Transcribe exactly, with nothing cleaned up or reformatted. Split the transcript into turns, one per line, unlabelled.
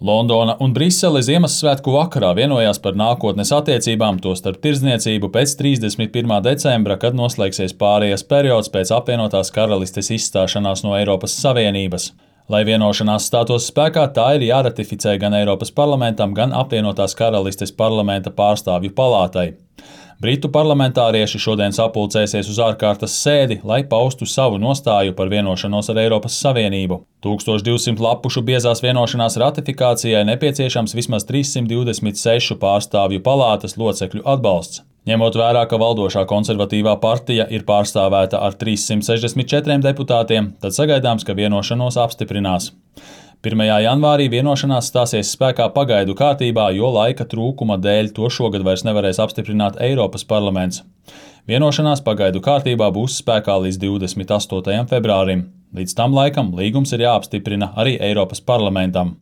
Londona un Brisele Ziemassvētku vakarā vienojās par nākotnes attiecībām, tostarp tirdzniecību pēc trīsdesmit pirmā decembra, kad noslēgsies pārejas periods pēc apvienotās karalistes izstāšanās no Eiropas Savienības. Lai vienošanās stātos spēkā, tā ir jāratificē gan Eiropas parlamentam, gan apvienotās karalistes parlamenta pārstāvju palātai. Britu parlamentārieši šodien sapulcēsies uz ārkārtas sēdi, lai paustu savu nostāju par vienošanos ar Eiropas Savienību. tūkstoš divsimt lapušu biezās vienošanās ratifikācijai nepieciešams vismaz trīssimt divdesmit sešu pārstāvju palātas locekļu atbalsts. Ņemot vērā, ka valdošā konservatīvā partija ir pārstāvēta ar trīssimt sešdesmit četriem deputātiem, tad sagaidāms, ka vienošanos apstiprinās. pirmajā janvārī vienošanās stāsies spēkā pagaidu kārtībā, jo laika trūkuma dēļ to šogad vairs nevarēs apstiprināt Eiropas parlaments. Vienošanās pagaidu kārtībā būs spēkā līdz divdesmit astotajam februārim. Līdz tam laikam līgums ir jāapstiprina arī Eiropas parlamentam.